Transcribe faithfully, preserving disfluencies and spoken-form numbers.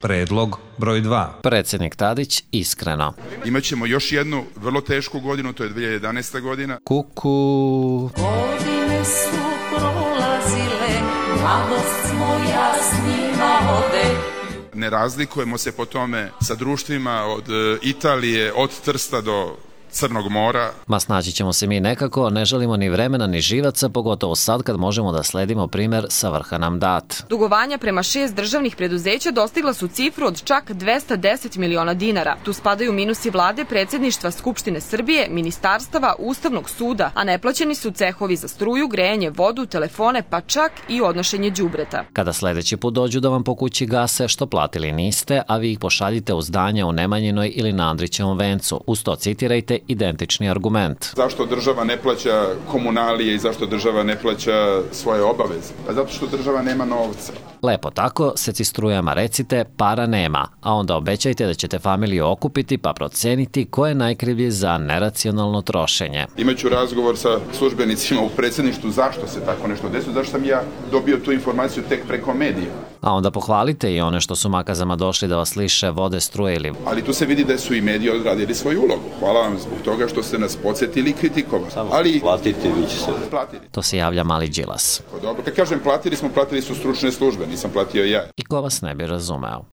Predlog broj dva. Predsjednik Tadić iskreno. Imaćemo još jednu vrlo tešku godinu, to je dvije hiljade jedanaesta godina. Kuku. Godine su prolazile, mladost moja s njima ode. Ne razlikujemo se po tome sa društvima od Italije, od Trsta do Crnog mora. Ma snaći ćemo se mi nekako, ne želimo ni vremena ni živaca, pogotovo sad kad možemo da sledimo primer sa vrha nam dat. Dugovanja prema šest državnih preduzeća dostigla su cifru od čak dvesta deset miliona dinara. Tu spadaju minusi vlade, predsjedništva Skupštine Srbije, ministarstava, Ustavnog suda, a neplaćeni su cehovi za struju, grejanje, vodu, telefone, pa čak i odnošenje đubreta. Kada sledeći put dođu da vam po kući gase što platili niste, a vi ih pošaljite u zdanje u Nemanjinoj ili na Andrićevom vencu. Uz to citirajte identični argument. Zašto država ne plaća komunalije i zašto država ne plaća svoje obaveze? Pa zato što država nema novca. Lepo tako, seci strujama recite, para nema, a onda obećajte da ćete familiju okupiti pa proceniti ko je najkrivlji za neracionalno trošenje. Imaću razgovor sa službenicima u predsjedništvu zašto se tako nešto desilo, zašto sam ja dobio tu informaciju tek preko medija. A onda pohvalite i one što su makazama došli da vas liše vode, struje ili... Ali tu se vidi da su i mediji odradili svoju ulogu. Hvala vam zbog toga što ste nas podsjetili i kritikovali. Samo ali platiti, vi će se... Platili. To se javlja mali Đilas. Dobro, kad kažem platili smo, platili su stručne službe, nisam platio ja. I ko vas ne bi razumeo.